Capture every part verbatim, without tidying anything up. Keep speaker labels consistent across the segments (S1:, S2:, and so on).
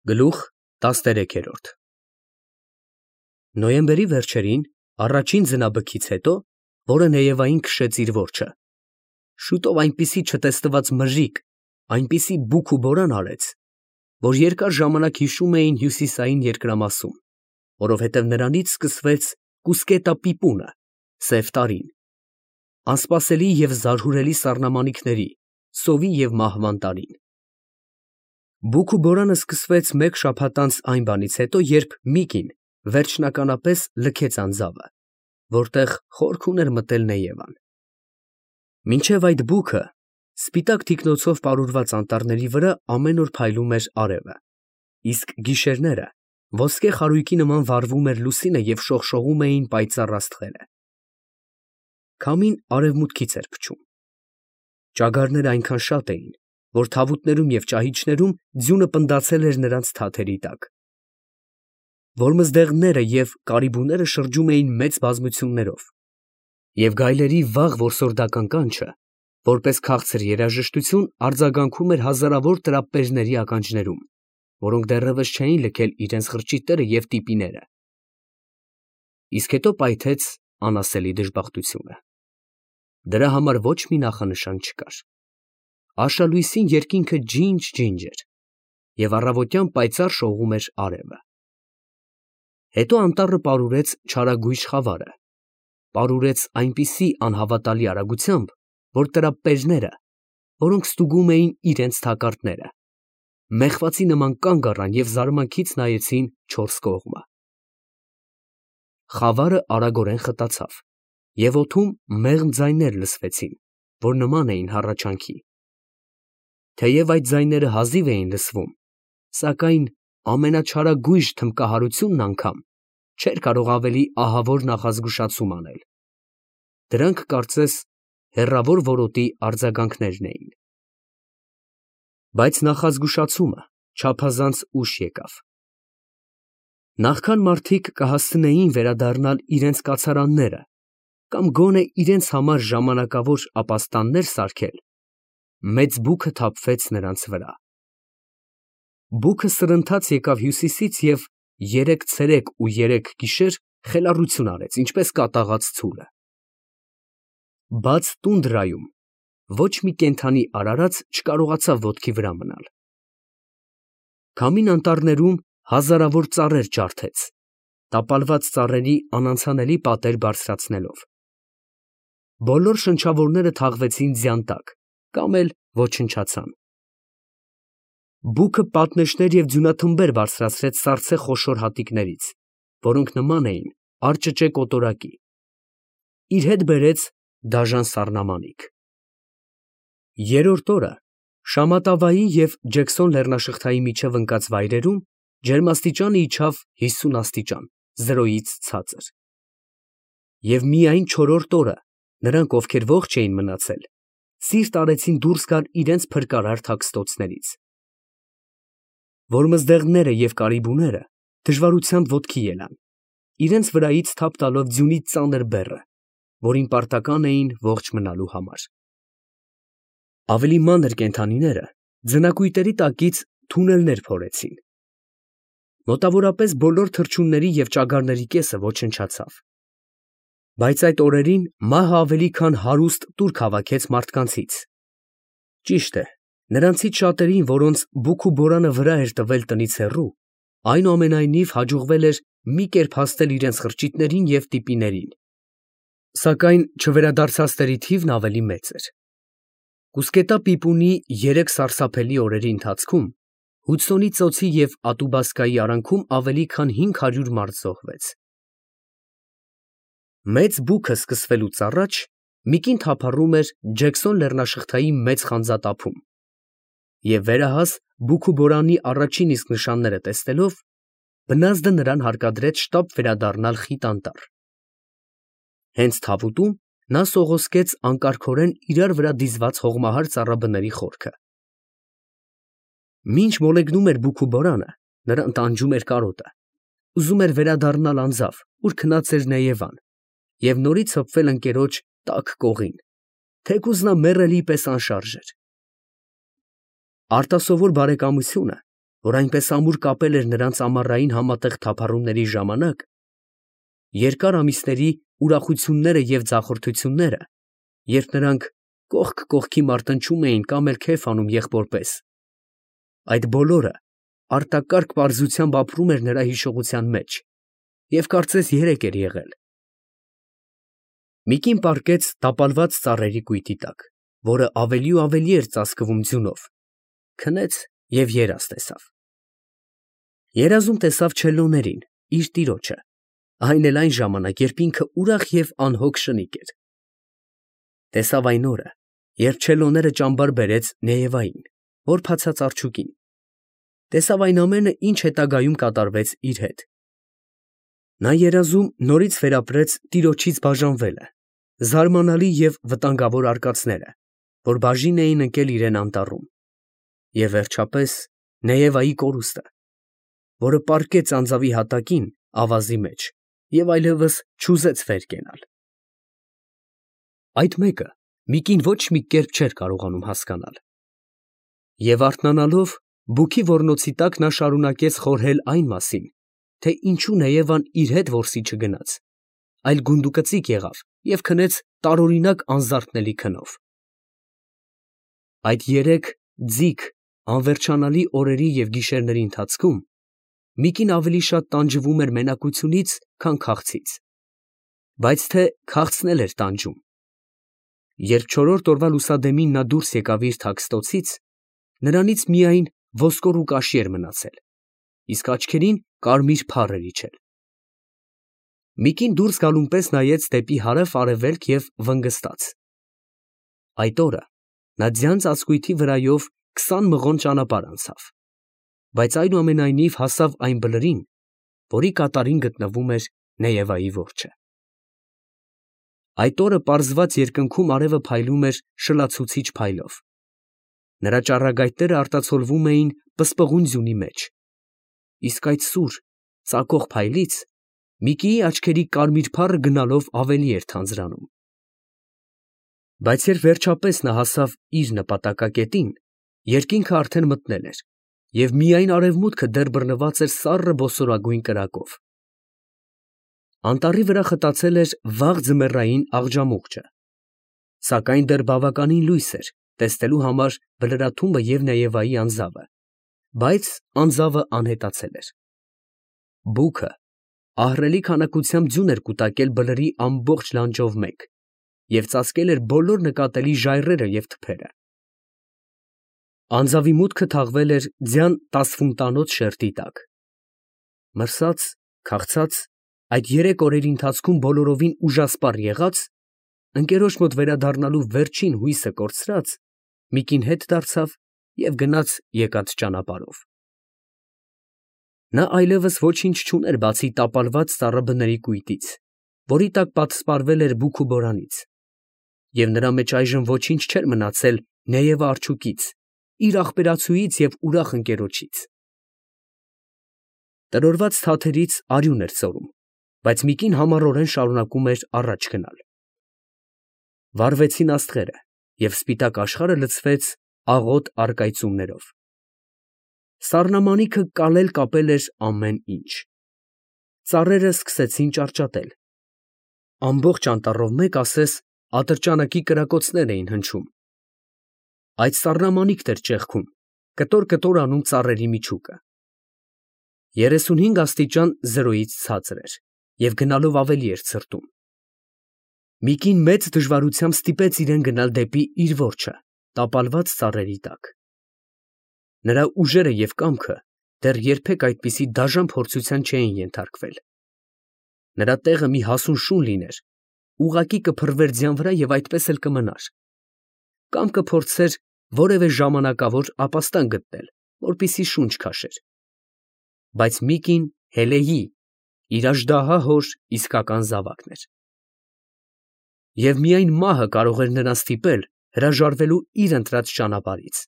S1: Գլուխ տասներեքերորդ Նոյեմբերի վերջերին, առաջին ձնաբքից հետո, որը Նեևային քշեց իր որջը, շուտով այնպիսի չտեսնված մրրիկ, այնպիսի բուք ու բորան արեց, որ երկար ժամանակ հիշում էին հյուսիսային երկրամասում, որովհետև նրանից սկսվեց Կուսկետա֊Պիպունը, սև տարին, անսպասելի և զարհուրելի սառնամանիքների, սովի և մահվան տարին։ Բուք ու բորանը սկսվեց մեկ շաբաթ անց այն բանից հետո, երբ մի կին վերջնականապես լքեց անձավը, որտեղ խորք ուներ մտել Նեևան։ Մինչև այդ բուքը սպիտակ թիկնոցով պարուրված անտառների վրա ամեն օր փայլում էր արևը, իսկ գիշերները ոսկե խարույկի նման վառվում էր լուսինը և շողշողում էին պայծառ աստղերը։ Քամին արևմուտքից էր փչում։ Ճագարները այնքան շատ էին, որ թավուտներում և ճահիճներում ձյունը պնդացել էր նրանց թաթերի տակ։ Որմզդեղները և կարիբուները շրջում էին մեծ բազմություններով, և գայլերի վաղ որսորդական կանչը, որպես քաղցր երաժշտություն, արձագանքում էր հազարավոր տրապպերների ականջներում, որոնք դեռևս չէին լքել իրենց խրճիթները և տիպիները։ Իսկ հետո պայթեց անասելի դժբախտությունը։ Դրա համար ոչ մի նախանշան չկար։ Արշալույսին երկինքը ջինջ֊ջինջ էր, և առավոտյան պայծառ շողում էր արևը։ Հետո անտառը պարուրեց չարագույժ խավարը, պարուրեց այնպիսի անհավատալի արագությամբ, որ տրապպերները, որոնք ստուգում էին իրենց թակարդները, մեղվացի նման կանգ առան և զարմանքից նայեցին չորս կողմը։ Խավարը արագորեն խտացավ, և օդում մեղմ ձայներ լսվեցին, որ նման էին հառաչանքի։ Թեև այդ ձայները հազիվ էին լսվում, սակայն ամենաչարագույժ թմբկահարությունն անգամ չէր կարող ավելի ահավոր նախազգուշացում անել։ Դրանք, կարծես, հեռավոր որոտի արձագանքներն էին։ Բայց նախազգուշացումը չափազանց ուշ եկավ։ Նախքան մարդիկ կհասցնեին վերադառնալ իրենց կացարանները կամ գոնե իրենց համար ժամանակավոր ապաստաններ սարքել, մեծ բուքը թափվեց նրանց վրա։ Բուքը սրընթաց եկավ հյուսիսից և երեք ցերեկ ու երեք գիշեր խելառություն արեց, ինչպես կատաղած ցուլը։ Բաց տունդրայում ոչ մի կենդանի արարած չկարողացավ ոտքի վրա մնալ։ Քամին անտառներում հազարավոր ծառեր ջարդեց, տապալված ծառերի անանցանելի պատեր բարձրացնելով։ Բոլոր շնչավորները թաղվեցին ձյան տակ կամ էլ ոչնչացան։ Բուքը պատնեշներ և ձյունաթմբեր բարձրացրեց սառցե խոշոր հատիկներից, որոնք նման էին արճճե կոտորակի։ Իր հետ բերեց դաժան սառնամանիք։ Երրորդ օրը Շամատավայի և Ջեքսոն լեռնաշղթայի միջև ընկած վայրերում ջերմաստիճանը իջավ հիսուն աստիճան, զրոյից ցածր։ Եվ միայն չորրորդ օրը նրանք, ովքեր ողջ էին մնացել, սիրտ արեցին դուրս գալ իրենց փրկարար թաքստոցներից։ Որմզդեղները և կարիբուները դժվարությամբ ոտքի ելան, իրենց վրայից թափ տալով ձյունի ծանր բեռը, որին պարտական էին ողջ մնալու համար։ Ավելի մանր կենդանիները ձնակույտերի տակից թունելներ փորեցին։ Մոտավորապես բոլոր թռչունների և ճագարների կեսը ոչնչացավ։ Բայց այդ օրերին մահը ավելի քան հարուստ տուրք հավաքեց մարդկանցից։ Ճիշտ է, նրանցից շատերին, որոնց բուք ու բորանը վրա էր տվել տնից հեռու, այնուամենայնիվ հաջողվել էր մի կերպ հասնել իրենց խրճիթներին և տիպիներին, սակայն չվերադարձածների թիվն ավելի մեծ էր։ Կուսկետա֊Պիպունի երեք սարսափելի օրերի ընթացքում Հուդսոնի ծոցի և Ատուբասկայի արանքում ավելի քան հինգ հարյուր մարդ զոհվեց։ Մեծ բուքը սկսվելուց առաջ մի կին թափառում էր Ջեքսոն լեռնաշղթայի մեծ խանձատափում, և վերահաս բուք ու բորանի առաջին իսկ նշանները տեսնելով, բնազդը նրան հարկադրեց շտապ վերադառնալ խիտ անտառ։ Հենց թավուտում նա սողոսկեց անկարգորեն իրար վրա դիզված հողմահար ծառաբների խորքը։ Մինչ մոլեգնում էր բուք ու բորանը, նրան տանջում էր կարոտը, ուզում էր վերադառնալ անձավ, ուր քնած էր Նեևան, և նորից հպվել ընկերոջ տաք կողին, թեկուզ նա մեռելի պես անշարժ էր։ Արտասովոր բարեկամությունը որ այնպես ամուր կապել էր նրանց ամառային համատեղ թափառումների ժամանակ, երկար ամիսների ուրախությունները և ձախորդությունները, երբ նրանք կողք կողքի մարտնչում էին կամ էլ քեֆ անում եղբոր պես, այդ բոլորը արտակարգ պարզությամբ ապրում էր նրա հիշողության մեջ և կարծես երեկ էր եղել։ մի կին պառկեց տապալված ծառերի կույտի տակ, որը ավելի ու ավելի էր ծածկվում ձյունով, քնեց և երազ տեսավ։ Երազում տեսավ չելլոներին, իր տիրոջը, այն էլ այն ժամանակ, երբ ինքը ուրախ և անհոգ շնիկ էր։ Տեսավ այն օրը, երբ չելլոները ճամբար բերեց Նեևային, որ փացած արջուկին, տեսավ այն ամենը, ինչ հետագայում կատարվեց իր հետ։ Նա երազում նորից վերապրեց տիրոջից բաժանվելը, զարմանալի և վտանգավոր արկածները, որ բաժին էին ընկել իրան անտառում, և վերջապես Նեևայի կորուստը, որը պառկեց անձավի հատակին ավազի մեջ և այլևս չուզեց վեր կենալ։ Այդ մեկը մի կին ոչ մի կերպ չէր կարողանում հասկանալ։ Եվ արթնանալով բուքի ոռնոցի տակ նա շարունակեց խորհել այն մասին, թե ինչու Նեևան իր հետ որսի չգնաց, այլ գունդուկծիկ եղավ և քնեց տարօրինակ անզարթնելի քնով։ Այդ երեք ձիգ, անվերջանալի օրերի և գիշերների ընթացքում մի կին ավելի շատ տանջվում էր մենակությունից, քան քաղցից, բայց թե քաղցն էլ էր տանջում։ Երբ չորրորդ օրվա լուսադեմին նա դուրս եկավ իր թաքստոցից, նրանից միայն ոսկոր ու կաշի էր մնացել, իսկ աչքերին կարմիր փառ էր իջել։ Մի կին դուրս գալուն պես նայեց դեպի հարավ֊արևելք և վնգստաց։ Այդ օրը նա ձյան ծածկույթի վրայով քսան մղոն ճանապարհ անցավ, բայց այնուամենայնիվ հասավ այն բլրին, որի կատարին գտնվում էր Նեևայի որջը։ Այդ օրը պարզված երկնքում արևը փայլում էր շլացուցիչ փայլով։ Նրա ճառագայթները արտացոլվում էին պսպղուն ձյունի մեջ, իսկ այդ սուր, ծակող փայլից Միկիի աչքերի կարմիր փառը գնալով ավելի էր թանձրանում։ Բայց երբ վերջապես նա հասավ իր նպատակակետին, երկինքը արդեն մթնել էր, և միայն արևմուտքը դեռ բռնված էր սառը ոսորագույն կրակով։ Անտառի վրա խտացել էր վաղ ձմեռային աղջամուղջը, սակայն դեռ բավականին լույս էր տեսնելու համար բլրաթումբը և Նեևայի անձավը, բայց անձավը անհետացել էր։ Բուքը ահռելի քանակությամբ ձյուն էր կուտակել բլրի ամբողջ լանջով մեկ և ծածկել էր բոլոր նկատելի ժայռերը և թփերը։ Անձավի մուտքը թաղվել էր ձյան տասֆունտանոց շերտի տակ։ Մրսած, քաղցած, այդ երեք օրերի ընթացքում բոլորովին ուժասպառ եղած, ընկերոջ մոտ վերադառնալու վերջին հույսը կորցրած, մի կին հետ դարձավ և գնաց եկած ճանապարհով։ Նա այլևս ոչինչ չուներ, բացի տապալված ծառաբների կույտից, որի տակ պատսպարվել էր բուք ու բորանից, և նրա մեջ այժմ ոչինչ չէր մնացել Նեևա արջուկից, իր ախպերացուից և ուրախ ընկերոջից։ Տրորված թաթերից արյուն էր սորում, բայց մի կին համառորեն շարունակում էր առաջ գնալ։ Վառվեցին աստղերը, և սպիտակ աշխարհը լցվեց աղոտ առկայծումներով։ Սառնամանիքը կալել֊կապել էր ամեն ինչ։ Ծառերը սկսեցին ճարճատել։ Ամբողջ անտառով մեկ, ասես, ատրճանակի կրակոցներ էին հնչում։ Այդ սառնամանիքն էր ճեղքում, կտոր֊կտոր անում ծառերի միջուկը։ Երեսունհինգ աստիճան զրոյից ցածր էր և գնալով ավելի էր ցրտում։ Մի կին մեծ դժվարությամբ ստիպեց իրան գնալ դեպի իր որջը տապալված ծառերի տակ։ Նրա ուժերը և կամքը դեռ երբեք այդպիսի դաժան փորձության չէին ենթարկվել։ Նրա տեղը մի հասուն շուն լիներ, ուղղակի կփռվեր ձյան վրա և այդպես էլ կմնար, կամ կփորձեր որևէ ժամանակավոր ապաստան գտնել, որպեսզի շունչ քաշեր։ Բայց մի կին Հելեհի, իր աժդահա հոր իսկական զավակն էր։ Եվ միայն մահը կարող էր նրան ստիպել հրաժարվելու իր ընտրած ճանապարհից։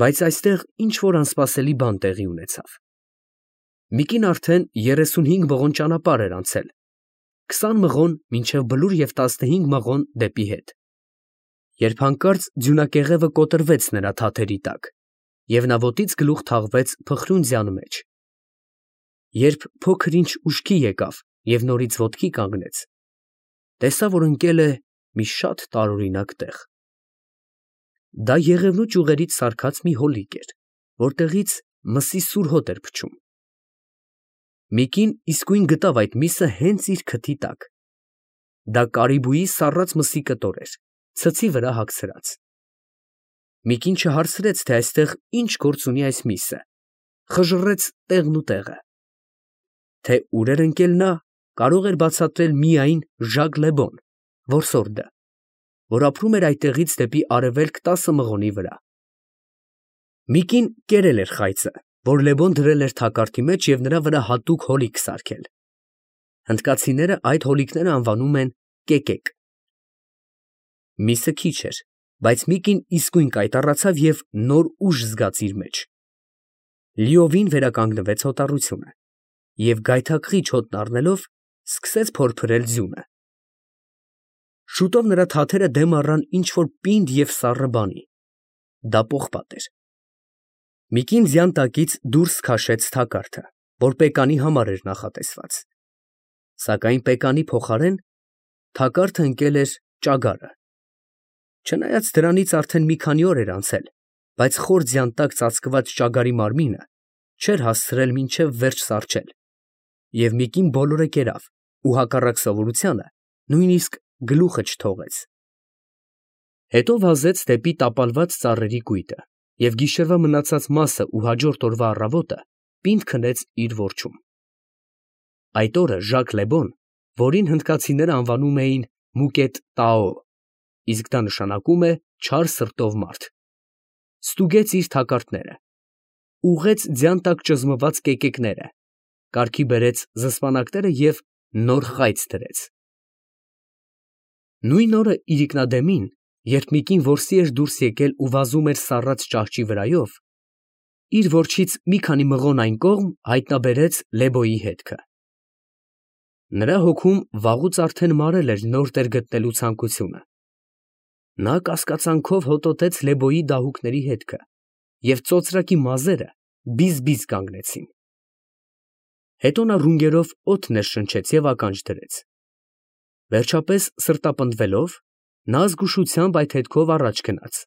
S1: Բայց այստեղ ինչ֊որ անսպասելի բան տեղի ունեցավ։ Մի կին արդեն երեսունհինգ մղոն ճանապարհ էր անցել, քսան մղոն մինչև Բլուր և տասնհինգ մղոն դեպի հետ, երբ հանկարծ ձյունակեղևը կոտրվեց նրա թաթերի տակ, և նա ոտից գլուխ թաղվեց փխրուն մեջ։ Երբ փոքր ինչ ուշքի եկավ և նորից ոտքի կանգնեց, տեսավ, որ ընկել է մի շատ տարօրինակ տեղ. դա եղևնու ճյուղերից սարքած մի հոլիկ էր, որտեղից մսի սուր հոտ էր փչում։ մի կին իսկույն գտավ այդ միսը հենց իր քթի տակ. դա կարիբուի սառած մսի կտոր էր, ցցի վրա հագցրած։ մի կին չհարցրեց, թե այստեղ ինչ գործ ունի այս միսը, խժռեց տեղն ու տեղը։ Թե ուր էր ընկել նա, կարող էր բացատրել միայն Ժակ Լեբոն, որսորդը, որ ապրում էր այդտեղից դեպի արևելք տասը մղոնի վրա։ մի կին կերել էր խայծը, որ Լեբոն դրել էր թակարդի մեջ և նրա վրա հատուկ հոլիկ սարքել։ Հնդկացիները այդ հոլիկները անվանում են կեկեկ։ Միսը քիչ էր, բայց մի կին իսկույն կայտառացավ և նոր ուժ զգաց իր մեջ։ Լիովին վերականգնվեց հոտառությունը և գայթակղիչ հոտն առնելով սկսեց փորփրել ձյունը։ Շուտով նրա թաթերը դեմ առան ինչ֊որ պինդ և սառը բանի. դա պողպատ էր։ մի կին ձյան տակից դուրս քաշեց թակարդը, որ պեկանի համար էր նախատեսված, սակայն պեկանի փոխարեն թակարդը ընկել էր ճագարը։ Չնայած դրանից արդեն մի քանի օր էր անցել, բայց խոր ձյան տակ ծածկված ճագարի մարմինը չէր հասցրել մինչև վերջ սառչել, և մի կին բոլորը կերավ ու հակառակ սովորությանը նույնիսկ գլուխը չթողեց։ Հետո վազեց դեպի տապալված ծառերի կույտը և գիշերվա մնացած մասը ու հաջորդ օրվա առավոտը պինդ քնեց իր որջում։ Այդ օրը Ժակ Լեբոն, որին հնդկացիները անվանում էին Մուկետ Տաո, իսկ դա նշանակում է չար սրտով մարդ, ստուգեց իր թակարդները, ուղղեց ձյան տակ ճզմված կեկեկները, կարգի բերեց զսպանակները և նոր խայծ դրեց։ Նույն օրը իրիկնադեմին, երբ մի կին որսի էր դուրս եկել ու վազում էր սառած ճահճի վրայով, իր որջից մի քանի մղոն այն կողմ հայտնաբերեց Լեբոյի հետքը։ Նրա հոգում վաղուց արդեն մարել էր նոր տեր գտնելու ցանկությունը։ Նա կասկածանքով հոտոտեց Լեբոյի դահուկների հետքը, և ծոծրակի մազերը բիզ֊բիզ կանգնեցին։ Հետո նա ռունգերով օդ ներշնչեց և ականջ դրեց։ Վերջապես սրտապնդվելով, նա զգուշությամբ այդ հետքով առաջ գնաց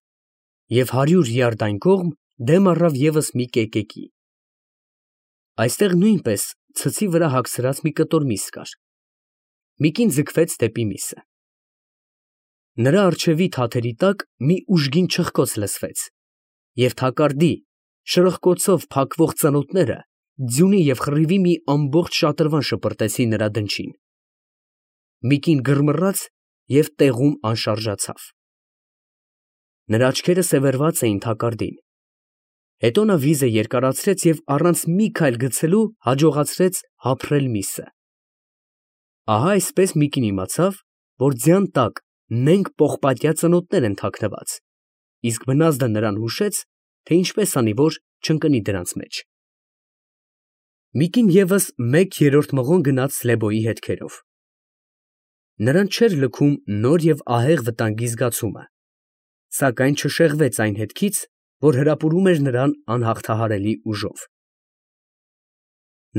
S1: և հարյուր յարդ այն կողմ դեմ առավ ևս մի կեկեկի։ Այստեղ նույնպես ցցի վրա հագցրած մի կտոր միս կար։ մի կին ձգվեց դեպի միսը։ Նրա առջևի թաթերի տակ մի ուժգին չխկոց լսվեց, և թակարդի շրխկոցով փակվող ծնոտները ձյունի և խռիվի մի ամբողջ շատրվան շպրտեցին նրա դնչին։ մի կին գրմռաց և տեղում անշարժացավ։ Նրա աչքերը սևեռված էին թակարդին։ Հետո նա վիզը երկարացրեց և առանց մի քայլ գցելու հաջողացրեց հափռել միսը։ Ահա այսպես մի կին իմացավ, որ ձյան տակ նենգ պողպատյա ծնոտներ են թաքնված, իսկ բնազդը նրան հուշեց, թե ինչպես անի, որ չընկնի դրանց մեջ։ մի կին ևս մեկ երրորդ մղոն գնաց Լեբոյի հետքերով։ Նրան չէր լքում նոր և ահեղ վտանգի զգացումը, սակայն չշեղվեց այն հետքից, որ հրապուրում էր նրան անհաղթահարելի ուժով։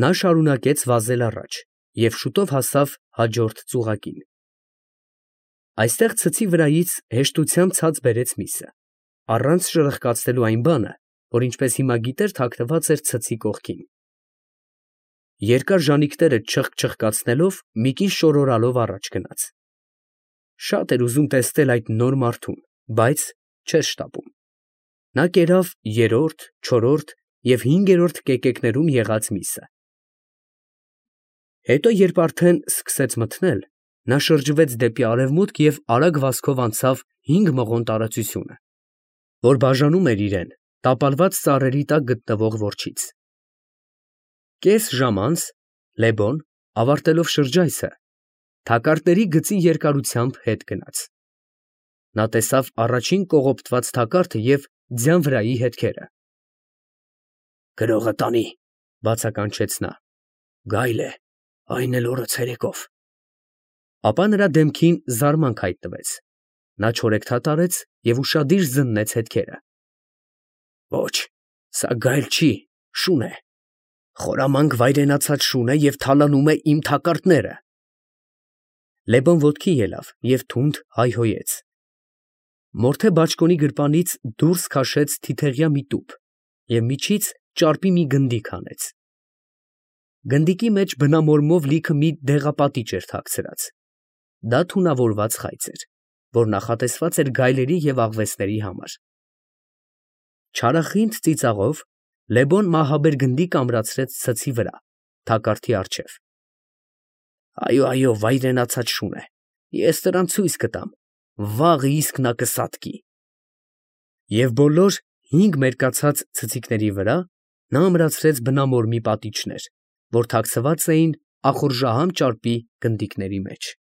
S1: Նա շարունակեց վազել առաջ և շուտով հասավ հաջորդ ծուղակին։ Այստեղ ցցի վրայից հեշտությամբ ցած բերեց միսը, առանց շրխկացնելու այն բանը, որ ինչպես հիմա գիտեր թաքնված էր ցցի կողքին։ Երկար ժանիքները չխկչխկացնելով, մի կին շորորալով առաջ գնաց։ Շատ էր ուզում տեսնել այդ նոր մարդուն, բայց չէր շտապում։ Նա կերավ երրորդ, չորրորդ և հինգերորդ կեկեկներում եղած միսը։ Հետո երբ արդեն սկսեց մթնել, նա շրջվեց դեպի արևմուտք և արագ վազքով անցավ հինգ մղոն տարածությունը, որ բաժանում էր իրեն տապալված ծառերի տակ գտնվող որջից։ Կես ժամ անց Լեբոն, ավարտելով շրջայցը, թակարդների գծի երկարությամբ հետ գնաց։ Նա տեսավ առաջին կողոպտված թակարդը և ձյան վրայի հետքերը։ «Գրողը տանի», ֊ բացականչեց նա, ֊ «գայլ է, այն էլ օրը ցերեկով»։ Ապա նրա դեմքին զարմանք հայտնվեց։ Նա չորեքթաթ արեց և ուշադիր զննեց հետքերը։ «Ոչ, Սա գայլ չի, շուն է, խորամանկ վայրենացած շուն է և թալանում է իմ թակարդները։ Լևոն ոտքի ելավ և թունդ հայհոյեց։ Մորթե բաճկոնի գրպանից դուրս քաշեց թիթեղյա մի տուփ և միջից ճարպի մի գնդիկ հանեց։ Գնդիկի մեջ բնամորմով լիքը մի դեղապատիճ էր թաքցրած. դա թունավորված խայծ էր, որ նախատեսված էր գայլերի և աղվեսների համար։ Չարախինդ ծիծաղով Լևոն մահաբեր գնդիկը ամրացրեց ցցի վրա, թակարդի առջև։ Այո, այո, վայրենացած շուն է, ես նրան ցույց կտամ, վաղը իսկ նա կսատկի։ Եվ բոլոր հինգ մերկացած ցցիկների վրա նա ամրացրեց բնամորմի պատիճներ, որ թաքցված էին ախորժահամ ճարպի գնդիկների մեջ։